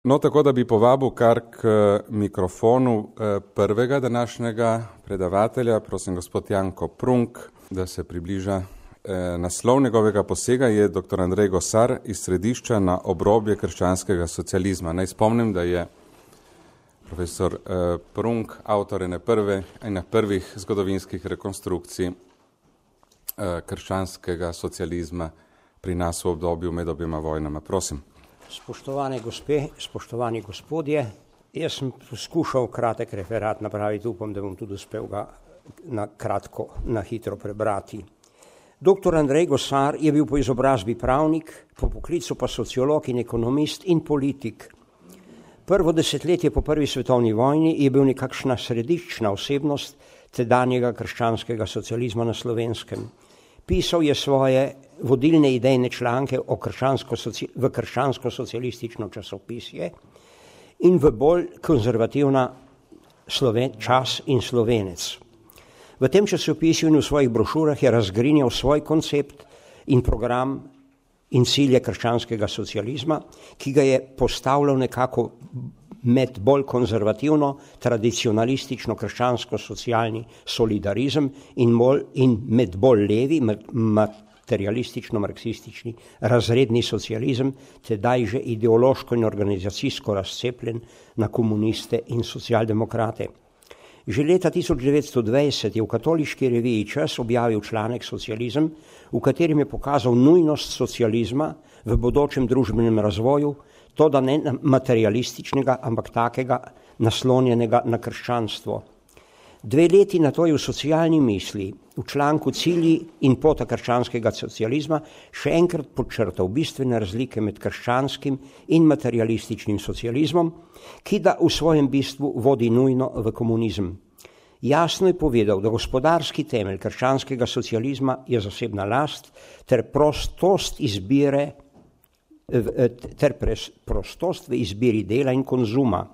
No, tako da bi povabil kar k mikrofonu prvega današnjega predavatelja, prosim gospod Janko Prunk, da se približa. Naslov njegovega posega je dr. Andrej Gosar iz Središča na obrobje krščanskega socializma. Naj spomnim, da je profesor Prunk avtor ene prvih zgodovinskih rekonstrukcij krščanskega socializma pri nas v obdobju med obima vojnama. Prosim. Spoštovane gospe, spoštovani gospodje, jaz sem poskušal kratek referat napraviti, upam, da bom tudi uspel ga na hitro prebrati. Dr. Andrej Gosar je bil po izobrazbi pravnik, po poklicu pa sociolog in ekonomist in politik. Prvo desetletje po prvi svetovni vojni je bil nekakšna središčna osebnost tedanjega krščanskega socializma na Slovenskem. Pisal je svoje vodilne idejne članke v krščansko-socialistično časopisje in v bolj konzervativna Čas in Slovenec. V tem časopisju in v svojih brošurah je razgrinjal svoj koncept in program in cilje krščanskega socializma, ki ga je postavljal nekako med bolj konzervativno, tradicionalistično krščansko-socialni solidarizem in med bolj levi, materialistično-marksistični razredni socializem, tedaj že ideološko in organizacijsko razcepljen na komuniste in socialdemokrate. Že leta 1920 je v katoliški reviji Čas objavil članek Socializem, v katerem je pokazal nujnost socializma v bodočem družbenem razvoju, to da ne materialističnega, ampak takega naslonjenega na krščanstvo. 2 leti na to je v Socialni misli, v članku Cilji in pota krščanskega socializma, še enkrat podčrtal bistvene razlike med krščanskim in materialističnim socializmom, ki da v svojem bistvu vodi nujno v komunizem. Jasno je povedal, da gospodarski temelj krščanskega socializma je zasebna last ter prostost v izbiri dela in konzuma.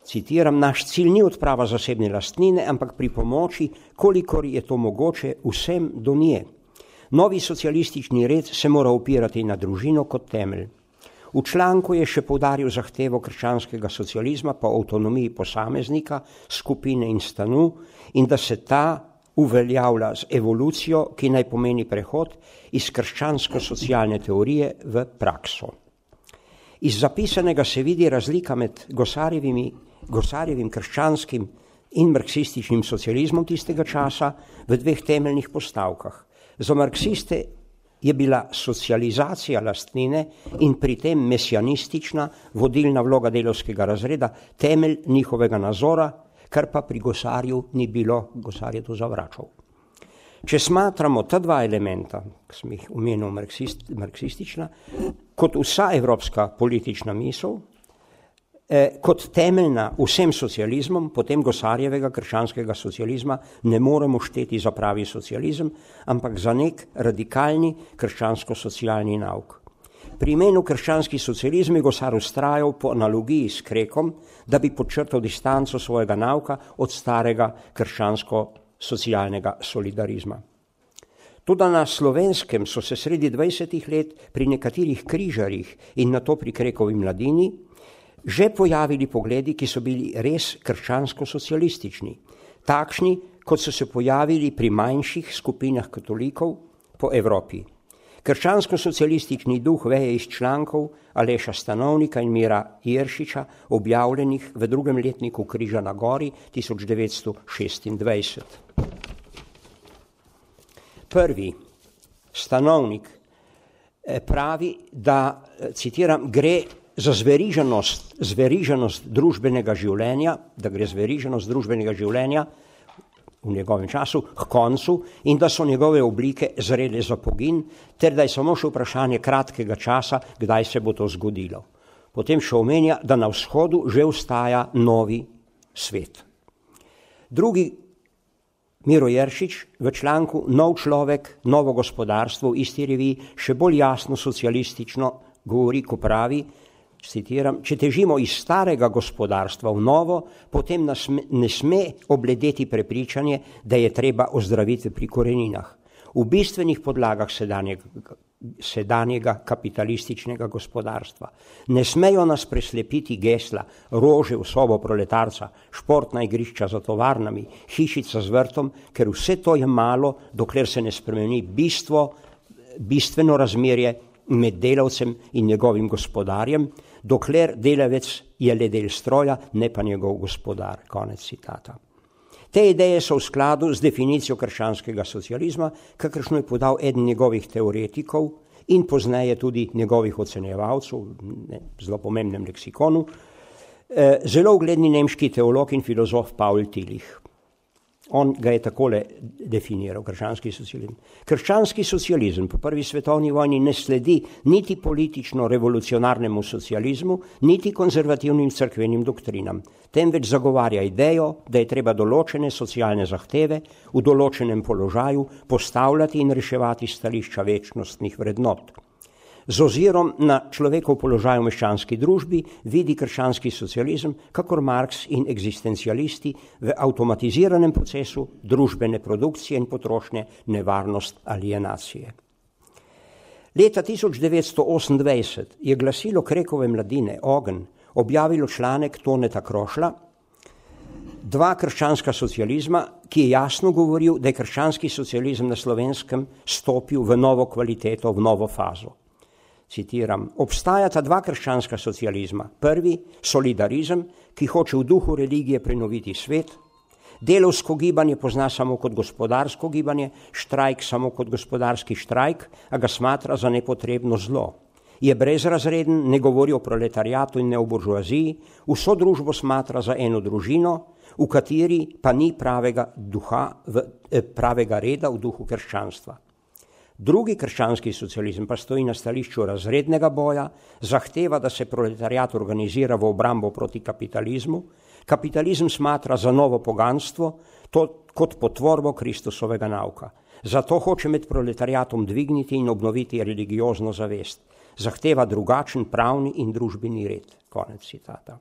Citiram, naš cilj ni odprava zasebne lastnine, ampak pri pomoči, kolikor je to mogoče, vsem do nje. Novi socialistični red se mora opirati na družino kot temelj. V članku je še poudaril zahtevo krščanskega socializma po avtonomiji posameznika, skupine in stanu in da se ta uveljavlja z evolucijo, ki naj pomeni prehod iz krščansko-socialne teorije v prakso. Iz zapisanega se vidi razlika med Gosarjevim krščanskim in marksističnim socializmom tistega časa v 2 temeljnih postavkah. Za marksiste je bila socializacija lastnine in pri tem mesijanistična vodilna vloga delavskega razreda temelj njihovega nazora, kar pa pri Gosarju ni bilo, Gosar je to zavračal. Če smatramo ta 2 elementa, ki sem jih omenil marksistična, kot vsa evropska politična misel, kot temeljna vsem socializmom, potem Gosarjevega krščanskega socializma ne moremo šteti za pravi socializem, ampak za nek radikalni krščansko-socialni nauk. Pri imenu krščanski socializem je Gosar vztrajal po analogiji s Krekom, da bi podčrtal distanco svojega nauka od starega krščansko-socialnega solidarizma. Tudi na Slovenskem so se sredi 20. let pri nekaterih križarjih in nato pri Krekovi mladini že pojavili pogledi, ki so bili res krščansko-socialistični, takšni, kot so se pojavili pri manjših skupinah katolikov po Evropi. Krščansko-socialistični duh veje iz člankov Aleša Stanovnika in Mira Jeršiča, objavljenih v 2. letniku Križa na gori 1926. Prvi, Stanovnik, pravi, da, citiram, gre za zveriženost družbenega življenja, v njegovem času k koncu in da so njegove oblike zrele za pogin, ter da je samo še vprašanje kratkega časa, kdaj se bo to zgodilo. Potem še omenja, da na vzhodu že vstaja novi svet. Drugi, Miro Jeršič, v članku Nov človek, novo gospodarstvo v isti reviji še bolj jasno socialistično govori, ko pravi, citiram, če težimo iz starega gospodarstva v novo, potem nas ne sme obledeti prepričanje, da je treba ozdraviti pri koreninah. V bistvenih podlagah sedanjega sedanjega kapitalističnega gospodarstva. Ne smejo nas preslepiti gesla, rože v sobo proletarca, športna igrišča za tovarnami, hišica z vrtom, ker vse to je malo, dokler se ne spremeni bistveno razmerje med delavcem in njegovim gospodarjem, dokler delavec je le del stroja, ne pa njegov gospodar. Konec citata. Te ideje so v skladu z definicijo krščanskega socializma, kakršno je podal eden njegovih teoretikov in pozneje tudi njegovih ocenjevalcev, zelo pomembnem leksikonu, zelo ugledni nemški teolog in filozof Paul Tillich. On ga je takole definiral, krščanski socializem. Krščanski socializem po prvi svetovni vojni ne sledi niti politično-revolucionarnemu socializmu, niti konzervativnim cerkvenim doktrinam, temveč zagovarja idejo, da je treba določene socialne zahteve v določenem položaju postavljati in reševati stališča večnostnih vrednot. Z ozirom na človekov položaj v meščanski družbi vidi krščanski socializem, kakor Marx in eksistencialisti, v avtomatiziranem procesu družbene produkcije in potrošnje nevarnost alienacije. Leta 1928 je glasilo Krekove Mladine Ogenj objavilo članek Toneta Krošlja Dva krščanska socializma, ki je jasno govoril, da je krščanski socializem na Slovenskem stopil v novo kvaliteto, v novo fazo. Citiram, obstajata dva krščanska socializma. Prvi, solidarizem, ki hoče v duhu religije prenoviti svet, delavsko gibanje pozna samo kot gospodarsko gibanje, štrajk samo kot gospodarski štrajk, a ga smatra za nepotrebno zlo. Je brezrazreden, ne govori o proletariatu in ne o buržoaziji, vso družbo smatra za eno družino, v kateri pa ni pravega reda v duhu krščanstva. Drugi krščanski socializem pa stoji na stališču razrednega boja, zahteva, da se proletariat organizira v obrambo proti kapitalizmu, kapitalizem smatra za novo poganstvo, kot potvorbo Kristusovega nauka. Zato hoče med proletariatom dvigniti in obnoviti religiozno zavest. Zahteva drugačen pravni in družbeni red. Konec citata.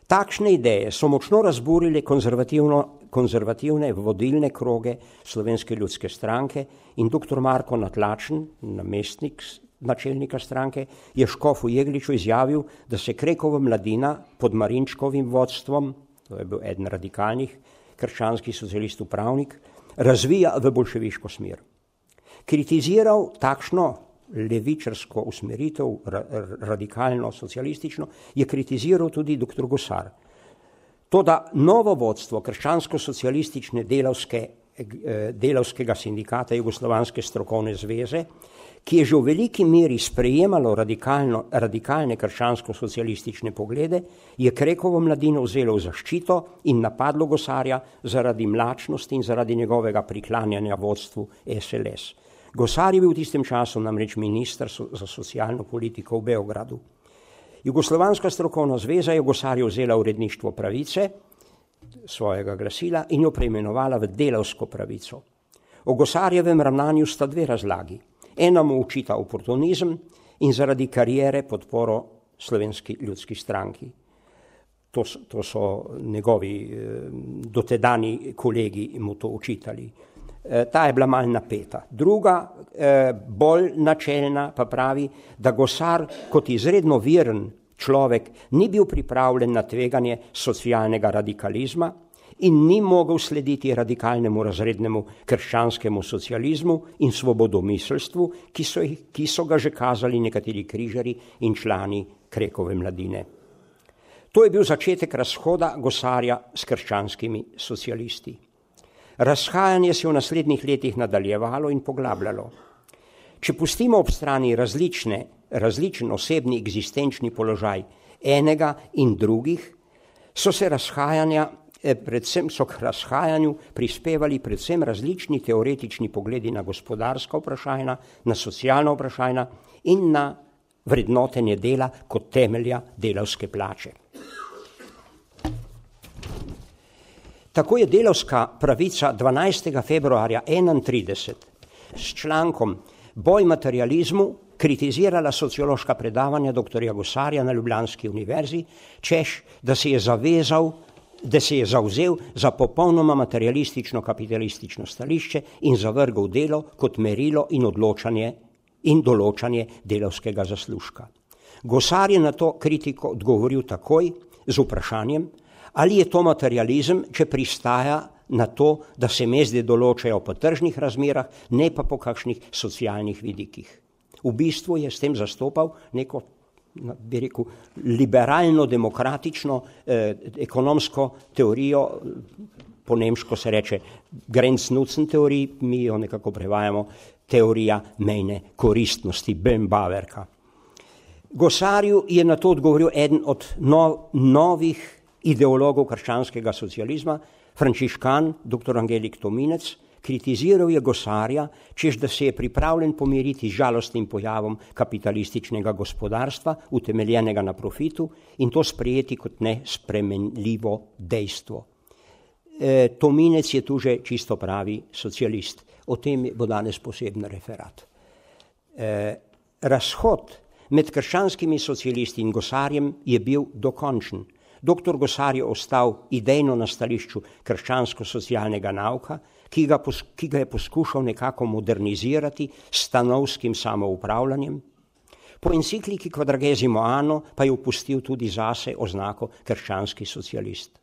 Takšne ideje so močno razburile konzervativne vodilne kroge Slovenske ljudske stranke in dr. Marko Natlačen, namestnik načelnika stranke, je Škofu Jegliču izjavil, da se Krekova Mladina pod Marinčkovim vodstvom, to je bil eden radikalnih krščanskih socialistov pravnik, razvija v bolševiško smer. Kritiziral takšno levičarsko usmeritev, radikalno, socialistično, je kritiziral tudi dr. Gosar. Toda novo vodstvo krščansko-socialistične delavskega sindikata Jugoslovanske strokovne zveze, ki je že v veliki meri sprejemalo radikalne krščansko-socialistične poglede, je Krekovo Mladino vzelo v zaščito in napadlo Gosarja zaradi mlačnosti in zaradi njegovega priklanjanja vodstvu SLS. Gosar je bil v tistem času namreč minister za socialno politiko v Beogradu. Jugoslovanska strokovna zveza je Gosarju vzela uredništvo Pravice, svojega glasila, in jo preimenovala v Delavsko pravico. O Gosarjevem ravnanju sta dve razlagi. Ena mu očita oportunizem in zaradi kariere podporo Slovenski ljudski stranki. To so njegovi dotedani kolegi mu to očitali. Ta je bila malo napeta. Druga, bolj načelna, pa pravi, da Gosar kot izredno veren človek ni bil pripravljen na tveganje socialnega radikalizma in ni mogel slediti radikalnemu razrednemu krščanskemu socializmu in svobodomiselstvu, ki so ga že kazali nekateri križarji in člani Krekove Mladine. To je bil začetek razhoda Gosarja s krščanskimi socialisti. Razhajanje se je v naslednjih letih nadaljevalo in poglabljalo. Če pustimo ob strani različen osebni egzistenčni položaj enega in drugih, so k razhajanju prispevali predvsem različni teoretični pogledi na gospodarska vprašanja, na socialna vprašanja in na vrednotenje dela kot temelja delavske plače. Tako je Delavska pravica 12. februarja 1931 s člankom Boj materializmu kritizirala sociološka predavanja dr. Gosarja na Ljubljanski univerzi, češ, da se je zavzel za popolnoma materialistično kapitalistično stališče in zavrgel delo kot merilo in odločanje in določanje delavskega zaslužka. Gosar je na to kritiko odgovoril takoj z vprašanjem, ali je to materializem, če pristaja na to, da se mezde določajo po tržnih razmerah, ne pa po kakšnih socialnih vidikih. V bistvu je s tem zastopal neko, bi rekel, liberalno-demokratično ekonomsko teorijo, po nemško se reče Grenz-Nutzen teorij, mi jo nekako prevajamo teorija mejne koristnosti, Böhm-Bawerka. Gosarju je na to odgovoril eden od novih ideologov krščanskega socializma, frančiškan, dr. Angelik Tominec. Kritiziral je Gosarja, češ da se je pripravljen pomiriti z žalostnim pojavom kapitalističnega gospodarstva, utemeljenega na profitu, in to sprejeti kot nespremenljivo dejstvo. Tominec je tu že čisto pravi socialist. O tem bo danes poseben referat. Razhod med krščanskimi socialisti in Gosarjem je bil dokončen. Doktor Gosar je ostal idejno na stališču krščansko-socialnega nauka, ki ga je poskušal nekako modernizirati s stanovskim samoupravljanjem. Po encikliki Quadragesimo Anno pa je upustil tudi zase oznako krščanski socialist.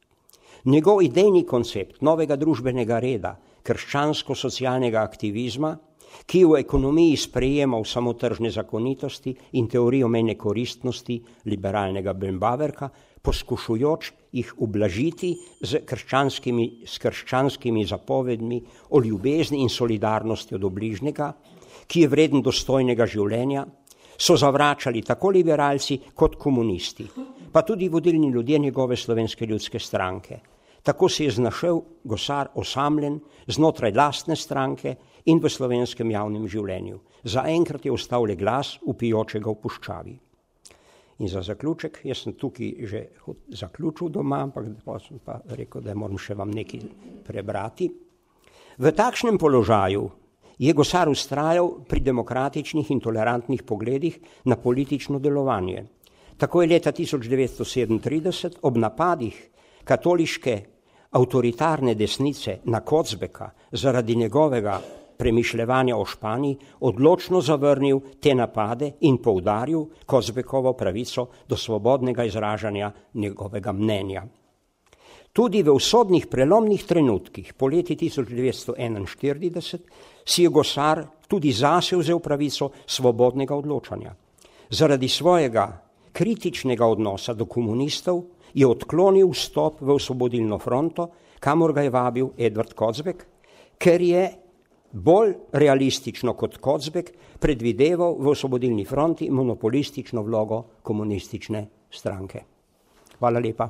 Njegov idejni koncept novega družbenega reda, krščansko-socialnega aktivizma, ki v ekonomiji sprejemal samo tržne zakonitosti in teorijo mejne koristnosti liberalnega Böhm-Bawerka, poskušujoč jih ublažiti s krščanskimi zapovedmi o ljubezni in solidarnosti do bližnjega, ki je vreden dostojnega življenja, so zavračali tako liberalci kot komunisti, pa tudi vodilni ljudje njegove Slovenske ljudske stranke. Tako se je znašel Gosar osamljen znotraj lastne stranke in v slovenskem javnem življenju. Zaenkrat je ostal le glas vpijočega v puščavi. In za zaključek, jaz sem tukaj že zaključil doma, ampak sem pa rekel, da moram še vam nekaj prebrati. V takšnem položaju je Gosar vztrajal pri demokratičnih in tolerantnih pogledih na politično delovanje. Tako je leta 1937 ob napadih katoliške avtoritarne desnice na Kocbeka zaradi njegovega premišljevanja o Španiji odločno zavrnil te napade in poudaril Kocbekovo pravico do svobodnega izražanja njegovega mnenja. Tudi v usodnih prelomnih trenutkih po leti 1941 si je Gosar tudi zase vzel pravico svobodnega odločanja. Zaradi svojega kritičnega odnosa do komunistov je odklonil vstop v Osvobodilno fronto, kamor ga je vabil Edvard Kocbek, ker je bolj realistično kot Kocbek predvideval v Osvobodilni fronti monopolistično vlogo komunistične stranke. Hvala lepa.